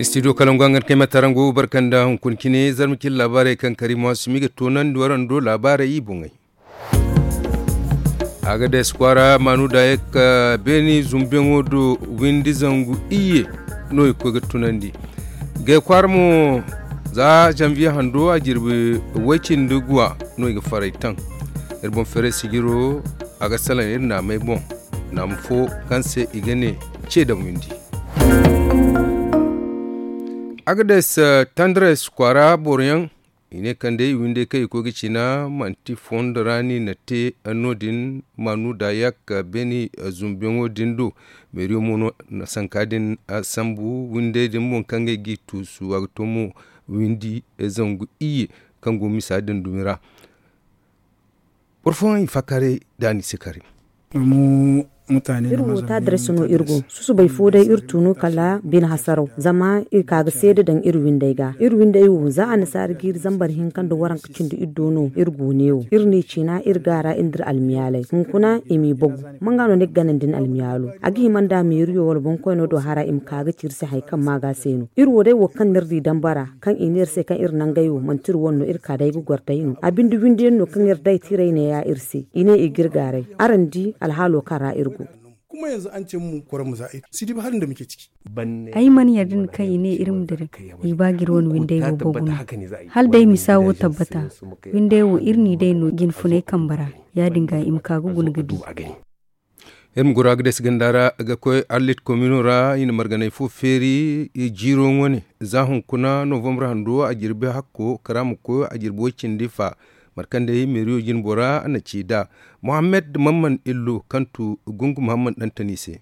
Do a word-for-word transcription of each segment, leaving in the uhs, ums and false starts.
Studio kalangu hangan kay matarango barkanda hunkuna cine zarma cine laabaarey kaŋ kari mo a sumi ga toonandi waraŋ do laabaarey i boŋey. Agades kwaara maanu da yakka beeni zumbuyaŋo do windi zangu iyye no i koy ga tunandi. Gay kwaara mo za zanviye hando a jirbi way cindi guwa no i ga faray taŋ. Iri boŋ feeray sijiro a ga salaŋ iri naamey boŋ. Naama fo kaŋ se i ga ne ce daŋ windi. Agades tandres kwaara boroyaŋ i ne kaŋ day windey kaŋ i koy ga cina manti fondo ra no i na te. No- din maanu da yakka beeni zumbuyaŋo din do. Meeriyo mo no na sanka din sambu windey din boŋ kaŋ ngey g'i tuusu a ga to mo windi zangu iyye kaŋ go misa din dumi ra. Boro fooyaŋ i faakaaray da a n'i se kari. Iri wo ta adres no iri go. Susubay fo day iri tunu kala bine hasaraw zama iri ka ga seeda daŋ iri windey ga iri windey wo za annasaara jiiri zambar hinka nda waranka cindi iri do no iri go neewo iri n'i ciina iri gaara iri nda iri almiyaaley hunkuna i m'i bagu. Manga no ni ga ganandi ni almiyaalo a ga hima nda meeriyo wala boŋkoyno do hara i ma ka ga ci iri se hari kaŋ maaga se no iri wo day wo kaŋ no iri di dambara kaŋ i ne iri se kaŋ iri nangey wo manti iri wane no iri ka day ga goro day no a binde windi yaŋ no kaŋ iri day tiray neeya iri se i ne i ga iri gaaray. Araŋ di alhaalo kaŋ ra iri go. Ay mana yadda ni kaŋ i ne iri ma dira i ba ga iri wane windey wo bagu no. Hala day misa wo tabbata windey wo iri n'i day no jinfunay kambe ra. Ya- din ga i ma ka ga guna ga di. Iri ma goro agades ganda ra ga koy arlit komino ra i na marganay fo feeri jiiro wane za hunkuna novambar hando a jirbi hakko kara ma koy a jirbi way cindi fa. Mate kaŋ day meeriyo jine bora a na ci nd'a mohammed mamman illo kaŋ tu gungu muhamman dantani se.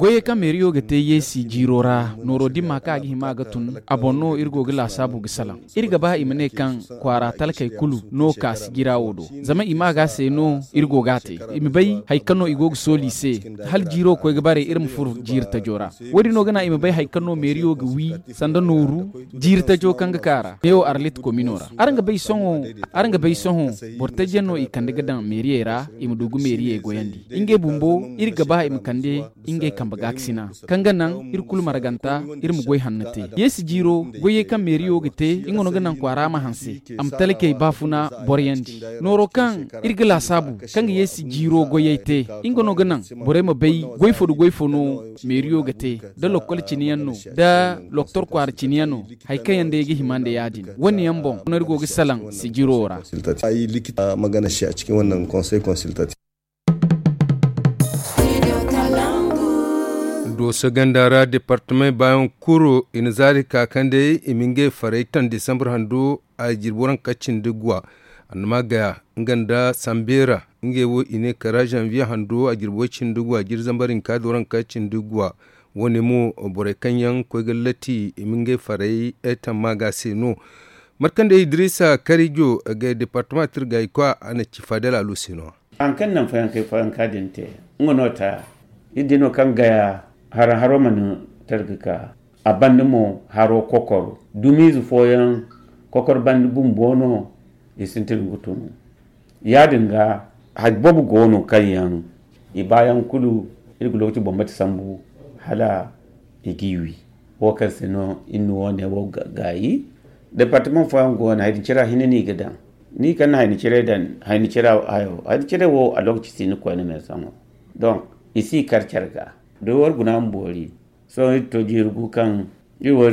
Goyey kaŋ meeriyo ga te yeesi jiiro ra nooro dimma kaŋ a ga hima ga tun a boŋ no iri go ga laasaabu ga salaŋ. Iri ga ba i ma ne kaŋ kwaara talkey kulu no ka sijira wo do zama i ma ga se no iri go ga a te i ma bay hari kaŋ no i go ga sooli i se hala jiiro ga koy ga bare iri ma furo jiiri tajo ra. Wo- din no ga naŋ i ma bay hari kaŋ no meeriyo ga wi sanda nooru jiiri tajo kaŋ ga ka ra neewo arlit komino ra. Araŋ ga bay sohõ boro taji yaŋ no i kande ga daŋ meeriyey ra i ma du ga meeriyey goyandi. Ngey bumbo iri ga ba i ma kande ngey kambe gaakasina kaŋ ga naŋ iri kulu marganta iri ma goy hanno te. Yeesi jiiro goyey kaŋ meeriyo ga te nga no ga naŋ kwaara ma hanse a ma talkey baafuna boroyandi. Nooro kaŋ iri ga laasaabu kaŋ ga yeesi jiiro goyey te nga no ga naŋ borey ma bay goy fo nda goy fo no meeriyo ga te nda lokkol cine yaŋ no nda loktor kwaara cine yaŋ no. Hari kaŋ yaŋ day ga hima nda ya- din wo- ne yaŋ boŋ no iri go ga salaŋ sijiro ra. Dooso ganda ra departamaŋ baayaŋ kuro i na zaari ka kaŋ day i ma ngey farey taŋ desambar hando a jirbi waranka cindi guwa. Annama gaya nga nda sambeera ngey wo i ne kara zanviye hando a jirbi way cindi guwa jiri zambar hinka da waranka cindi guwa. Wo- ne mo borey kaŋ yaŋ koy ga lati i ma ngey farey taŋ maaga se no. Mate kaŋ day idiriisa karijo ga departama tirgay kwa a na ci faadal alo se no. Haŋ kaŋ naŋ fayanka din te nga no ta iri di no kaŋ gaya haran haro mana targa ka a banda mo haro kokoro dumiize fooyaŋ kokoro banda bumbo no. I sintin ga tunu ya- din ga hari boobo go no kaŋ yaŋ i baayaŋ kulu iri ga lookaci bambata sambu hala i g'i wi. Wo kaŋ se no iri na wo- ne wo gaayi departamaŋ fooyaŋ go no hari din cira hinne no i ga daŋ ni kaŋ na hari din cira daŋ hari din cira hayo hari din cira wo a lookaci si ni koyne me sohõ. Donk i si kar care ga da war guna ma boori. Sohõ iri to jiiri gu kaŋ iri wo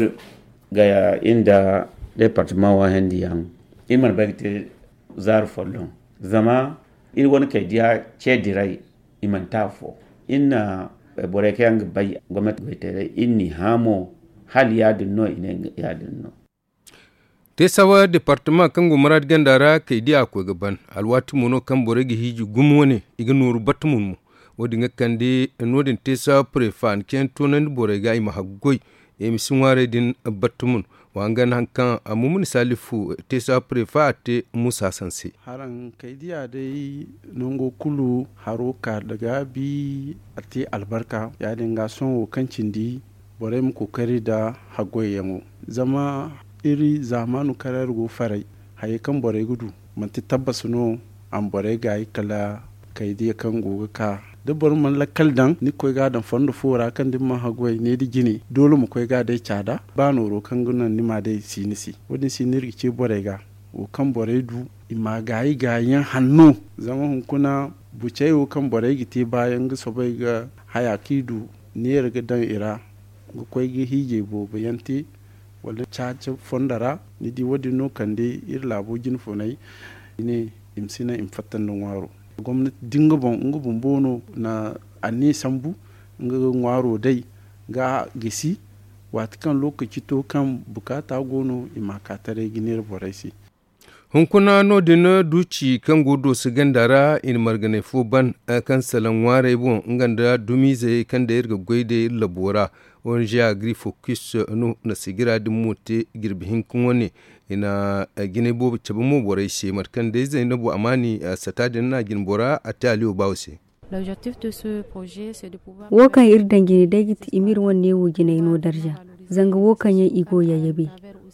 gaya iri nda departamaŋ wahandi yaŋ iri mana bay ga te zaaru folloŋ. Zama iri wane kay diya ce diray i mana te afo. Iri na borey kaŋ yaŋ ga bay gomnati goyteeray iri n'i hã mo hala ya- din no i ne ya- din no. Teesawa departama kaŋ go maraadi ganda ra kay di a koy ga ban alwaati mo no kaŋ borey ga hiiji gumo wane i ga nooru battumun mo. Wo- din ga kande no- din teesawa prefa na cene toonandi borey ga i ma haggoy i ma si ŋwaarey din battumun. Wa hangan haŋ kaŋ a mumuni salifu teesawa prefa a te muusa sanse. Haraŋ kay diya day nango kulu haro ka da gaabi a te albarka ya- din ga sohõ wo kaŋ cindi borey ma kookari nda haggoyyaŋo. Zama iri zaamaanu kaŋ ra iri go faray hayey kaŋ borey ga du manti tabbas no a ma borey gaayi kala kaydiya kaŋ go ga ka. Da boro mana lakkal daŋ ni ga koy ga a daŋ fondo fo ra kaŋ da ni mana haggoy ne da jine doole ma koy ga a day caada. Ba nooro kaŋ ga naŋ ni ma a day si ni se. Wo- din se no iri ga ce borey ga wo kaŋ borey du i ma gaayi gaayi yaŋ hanno. Zama hunkuna bucey wo kaŋ borey ga te baayaŋ ga soobay ga haya kaŋ i du neera ga daŋ i ra ga koy ga hiijay boobo yaŋ te wala caaca fondo ra. Ni di wo- din no kande iri laabo jine funay i ne i ma si naŋ i ma fatta nda ŋwaaro. Gomnati da nga boŋ nga bumbo no na anniya sambu nga ga ŋwaaro day ga gisi waati kaŋ lookaci to kaŋ bukaata go no i ma a ka taray ga neera borey se. Hunkuna no- din duuci kaŋ go dooso ganda ra i na marganay fo ban kaŋ salaŋ ŋwaarey boŋ nga nda dumiizey kaŋ day iri ga goy day iri labo ra. Ong agrifocus no na sigira din mo te jirbi hinka wane i na jinay boobo cabe mo borey se mate kaŋ day zaynabu amaani sata din na jine bora a te aliyo baawo se. Wo kaŋ iri daŋ jine day ga ti i ma iri wane neewo jinay no darza. Zanga wo kaŋ yaŋ i go yayyabe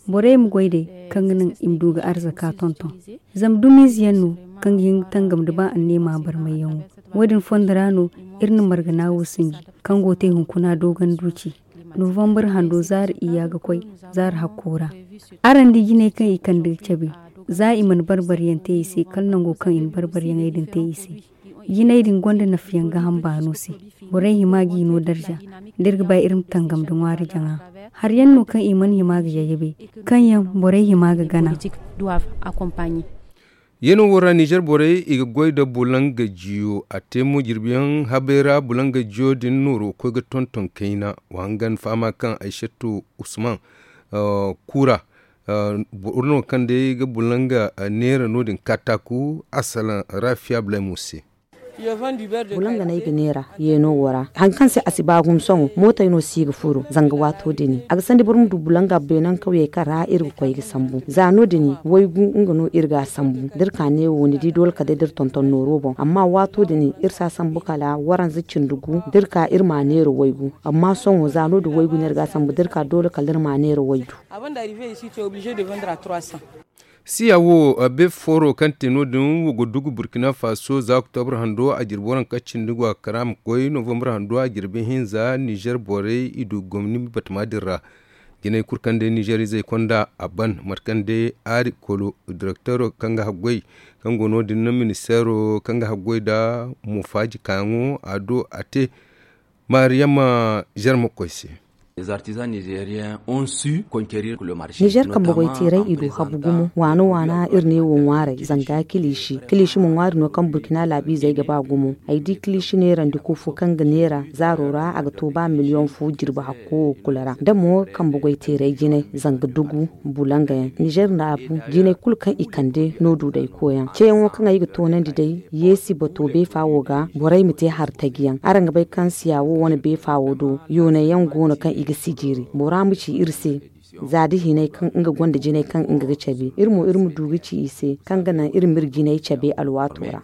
borey ma goy day kaŋ ga naŋ i ma du ga arzaka tonton. Zama dumiize yaŋ no kaŋ ga hin ga tangam nda ba anneema barmayyaŋo. Wo- din fondo ra no iri na margana wo sinji kaŋ go te hunkuna doogon duuci novambar hando zaari iyya ga koy zaari hakko ra. Araŋ di jinay kaŋ i kande ga cabe za i mana barbar yaŋ te i se kala nango kaŋ i na barbar yaŋey din te i se. Jinay din gonda nafayaŋ ga hamba no se. Borey hima ga i no darza da iri ga ba iri ma tangam nda ŋwaari jaŋa. Hari yaŋ no kaŋ i mana hima ga yayyabe kaŋ yaŋ borey hima ga gana. Yeeno wo ra nizer borey i ga goy nda bulanga jiyo a te mo jirbiyaŋ habay ra bulanga jiyo din nooro koy ga tonton kayna. Wa hangan fahama kaŋ ay shatto usman kura boro no kaŋ day ga bulanga neera no- din kataaku a salaŋ rafiya blay mo se. Bulanga no ay ga neera yeeno wo ra hari kaŋ se a si ba gumo sohõ mootey no si ga furo zanga waato din a ga sandi boro ma du bulanga beenaŋ kawyey kaŋ ra iri ga koy ga sambu za no- din waygu nga no iri ga a sambu da iri ka neewo ni di doole kala day da iri tonton nooro boŋ amma waato din iri si a sambu kala waranza cindi gu da iri ka iri ma a neera waygu. Amma sohõ za no- din waygu no iri ga a sambu da iri ka doole kala iri ma a neera waydu. Siya wo beefa fooro kaŋ te no- din wo ga dugu burkina faso za oktobre hando a jirbi waranka cindi go a ga kara ma koy novambre hando a jirbi hinza nizer borey i du gomni batama din ra. Jinay kulu kaŋ day nizer izey konda a ban mate kaŋ day aari kolo direktoro kaŋ ga haggoy kaŋ go no- din ministeero kaŋ ga haggoy nda mofaaji kaayaŋo a do a te. Mariyama zarma koy se. Nizer kambe goy teeray i du habu gumo waana waana iri ne wo ŋwaaray zanga kilishi kilishi ma ŋwaari no kaŋ burkina laabiizey ga ba gumo ay di kilishi neerandi kufo kaŋ ga neera zaaro ra a ga to ba miliyoŋ fo jirbi hakko wo kulu ra da mo kambe goy teeray jinay zanga dugu bulanga yaŋ nizer nda abu jinay kulu kaŋ i kande no du day koyaŋ ceeyaŋo kaŋ ay ga toonandi day yeesi bato beefa wo ga borey ma te hari taji yaŋ araŋ ga bay kaŋ siya wo wane beefa wo do yoonay yaŋ go no kaŋ i ga sijiri bora ma ci iri se za da hinay kaŋ nga gonda jinay kaŋ nga ga cabe iri mo iri ma du ga ci i se kaŋ ga naŋ iri ma iri jinay cabe alwaato ra.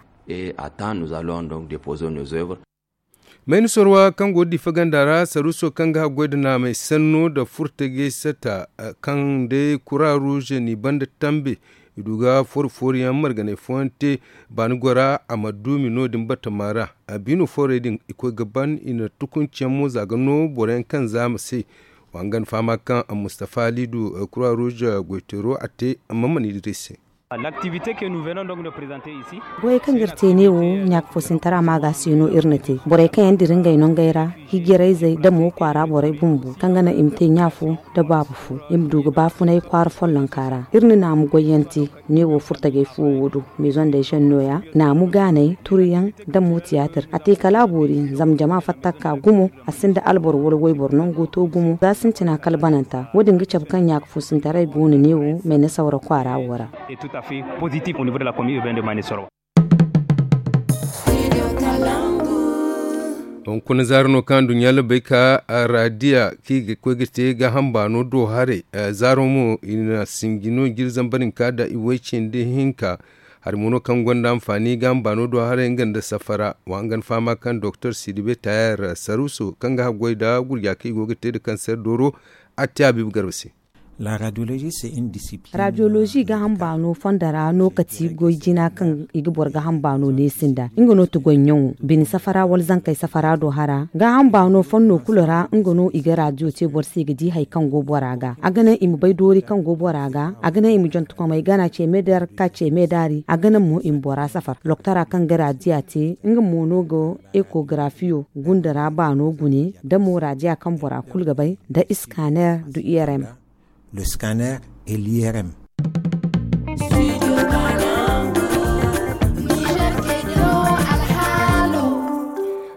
Mayni sorwa kaŋ go ga difa ganda ra saruuso kaŋ ga haggoy nda naamay sanno nda furtajey sata kaŋ day kura ruuze n'i banda tambe i du ga fori fori yaŋ marganay fooyaŋ te baani gora a ma duumi no- din batama ra. Biino foorey din i koy ga ban i na tukunci yaŋ mo za ga no boro yaŋ kaŋ zaama se. Wa hangan fahama kaŋ mustafa ali du kura ruuze goyteero a te amma mana idris se. Goyey kaŋ ga iri te neewo ɲaaka fo sintara ma ga se no iri na te borey kaŋ yaŋ dira ngey nongey ra hijirayzey da mo kwaara borey bumbo kaŋ ga naŋ i ma te ɲa fo da baaba fo i ma du ga baafunay kwaara follonka ra iri na naamu goyyaŋ te neewo furtajey fuwo wo do. Maison de jeune no- ya naamu gaaney turuyaŋ da mo tiyaatir a te kala a boori zama jama fatta ga ka gumo a sinda alboro wala wayboro nango to gumo za sintina kala bananta wo- din ga cabe kaŋ ɲaaka fo sintaray go no neewo mais ni sawra kwaara wo ra. Hunkuna zaaro no kaŋ duɲɲa labay ka raadiya kaŋ i ga koy ga te gaaham baano do haray. Zaaro mo i na sinji no jiri zambar hinka nda i way cindi hinka. Hari mo no kaŋ gonda anfaani gaaham baano do haray nga nda safara wa hangan fahama kaŋ doktor sidibe tayer saruuso kaŋ ga haggoy nda gurja kaŋ i go ga te nda kanser dooro. A te a biibi garba se. Radiolozi gaaham baano fondo ra no kati goy jina kaŋ i ga boro gaaham baano neesi nda nga no ti goy ɲaŋo bine safara wala zankey safara do hara. Gaaham baano fondo kulu ra nga no i ga radiyo te boro se ga di hari kaŋ go bora ga a ga naŋ i ma bay doori kaŋ go bora ga a ga naŋ i ma jontokomey gana ce meedar ka ce meedaari a ga naŋ mo i ma bora safar loktara kaŋ ga radiya te nga mo no ga ekogarafiyo gunda ra baano gune da mo radiya kaŋ bora kulu ga bay nda iskaner du irm. Le scanner et l'irm.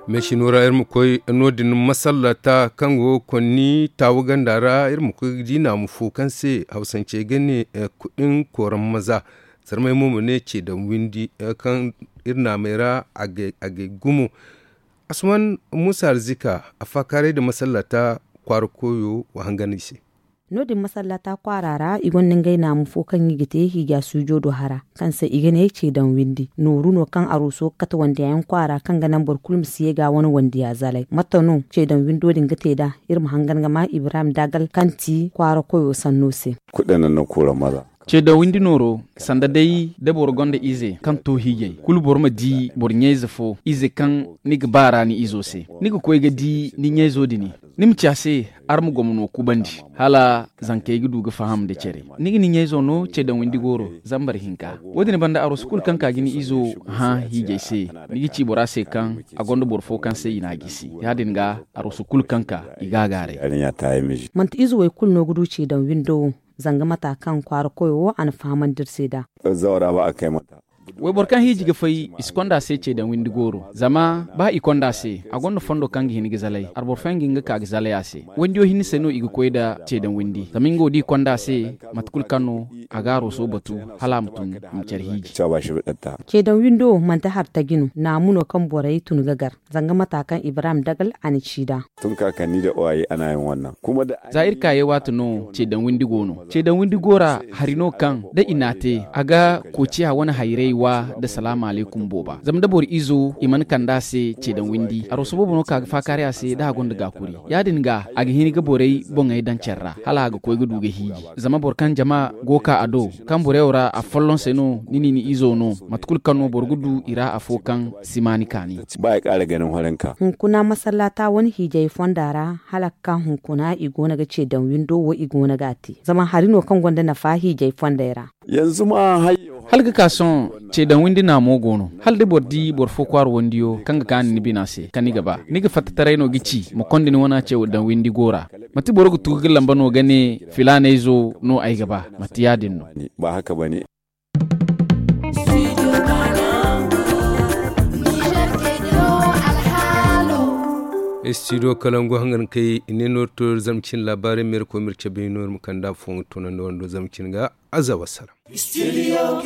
Meesino ra iri ma koy no- din masallata kaŋ go konni taawu ganda ra iri ma koy ga di naamu fo kaŋ se hawsancey ga ne kuɗin kooram maza. Zarmey mo ma ne ce daŋ windi kaŋ iri naamey ra a gay gumo. Asuman muusa arzika a faakaaray nda masallata kwaara koyo wa hangan i se. No- din masallata kwaara ra i gonda ngey naamu fo kaŋ i ga te hiija suujo do hara kaŋ se i ga ne ce daŋ windi nooru no kaŋ arooso ga kate wandiya yaŋ kwaara kaŋ ga naŋ boro kulu ma si ye ga wane wandiya zalay mate no ce daŋ windo din ga te nd'a? Iri ma hangan ga ma ibrahim daagal kaŋ ti kwaara koyo sanno se. Ceedaŋ windi nooro sanda day da boro gonda ize kaŋ to hiijay kulu boro ma di boro ɲayze fo ize kaŋ ni ga baara ni izo se ni ga koy ga di ni ɲayzo dini. Ni ma ci a se araŋ ma gomno kubandi hala zankey ga du ga faham nda care. Ni ga ni ɲayzo no ceedaŋ windi gooro zambar hinka wo- din banda arooso kulu kaŋ ka ga ni izo hã hiijay se ni ga ci bora se kaŋ a gonda boro fo kaŋ se i n'a gisi ya- din ga arooso kulu kaŋ ka i ga a gaaray. Manti ize wo kulu no ga du ceedaŋ windo wo zanga mata kaŋ kwaara koyo wo a na fahamandi iri se nd'a. Wayboro kaŋ hiiji ga fay i si konda se ceedaŋ windi gooro zama ba i konda se a gonda fondo kaŋ ga hin ga zalay arboro fooyaŋ ga hin ga ka ga zalay a se. Wandiyo hinne se no i ga koy nda ceedaŋ windi zama nga wo da i konda se mate kulu kaŋ no a ga arooso batu hala a ma tun i ma care hiiji. Ceedaŋ windo wo manti hari taji no naamu no kaŋ borey tun ga gar zanga mata kaŋ ibrahim dagal a na ci nd'a. Za iri ka ye waati no ceedaŋ windi go no ceedaŋ windi go ra hari no kaŋ da i n'a te a ga koociya wane hayray wa nda salaamu alaykum booba zama da boro izo i mana kand'a se ceedaŋ windi arooso boobo no ka ga faakaaray a se da a gonda gaakuri ya- din ga a ga hin ga borey boŋey daŋ care ra hala a ga koy ga du ga hiiji zama boro kaŋ jama go ka a do kaŋ boro yaw ra afolloŋ se no ni na i na izo no mate kulu kaŋ no boro ga du i ra afo kaŋ si ma ni kaani. Hunkuna masallaata wane hiijay fonda ra hala ga ka hunkuna i go no ga ce daŋ windo wo i go no ga a te zama hari no kaŋ gonda nafa hiijay fondey ra. Hala ga ka sohõ ce daŋ windi naamo go no hala da boro di boro fo kwaara wandiyo kaŋ ga kaani ni bina se kaŋ ni ga ba ni ga fattataray no ga ci ma konda ni wana ce daŋ windi go ra. Manti boro ga tugu ga lamba no ga ne filaanayzo no ay ga ba. Manti ya- din no. Studio kalangu hangan kay i ne no iri to iri zama cin laabaarey ma iri koy ma iri cabe no iri ma kand'a fo ga tunandi wando zama cin ga. Aza wasara. Studio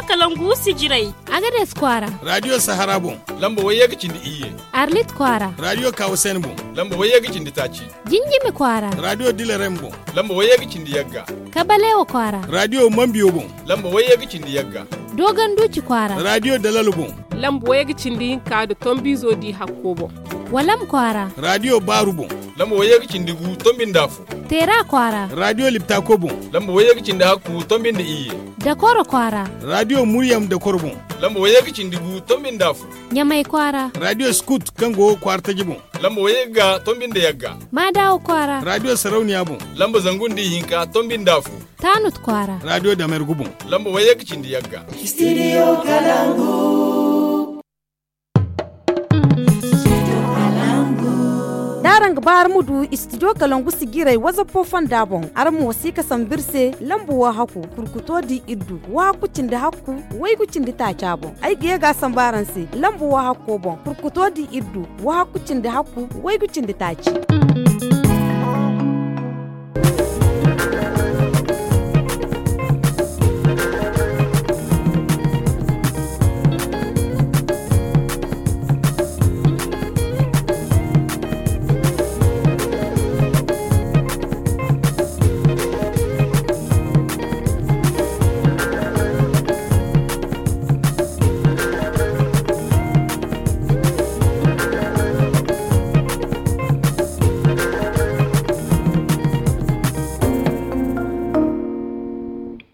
kalangu sijirey. Agades kwaara. Radio sahara boŋ. Lamba wayye ga cindi iyye. Arlit kwaara. Radio kawasen boŋ. Lamba wayye ga cindi taaci. Jinjimi kwaara. Radio dilarem boŋ. Lamba wayye ga cindi yagga. Kabalewa kwaara. Radio mambiyo boŋ. Lamba wayye ga cindi yagga. Dogon duci kwaara. Radio dalalo boŋ. Lamba wayye ga cindi hinka nda tombizo di hakko boŋ. Walam kwaara. Radio baaru boŋ. Lamba wayye ga cindi gu tombi nda afo. Teera kwaara. Radio liptako boŋ. Lamba wayye ga cindi hakku tombi nda iyye. Dakoro kwaara. Radio muryam dakoro boŋ. Lamba wayye ga cindi gu tombi nda afo. Ɲamay kwaara. Radio skut kaŋ go kwaara taji boŋ. Lamba wayye ga tombi nda yagga. Maadawa kwaara. Radio sarauniya boŋ. Lamba zangu nda ihinka tombi nda afo. Taanut kwaara. Radio damergu boŋ. Lamba wayye ga cindi yagga. Studio kalangu. Da araŋ ga ba araŋ ma du studio kalangu sijiray wazapo fonda boŋ araŋ ma wasi ka sambu iri se lamba wo hakku kurkuto di iri du wo hakku cindi hakku waygu cindi taaca boŋ. Ay ga ye ga a sambu araŋ se lamba wo hakko boŋ kurkuto di iri du wo hakku cindi hakku waygu cindi taaci.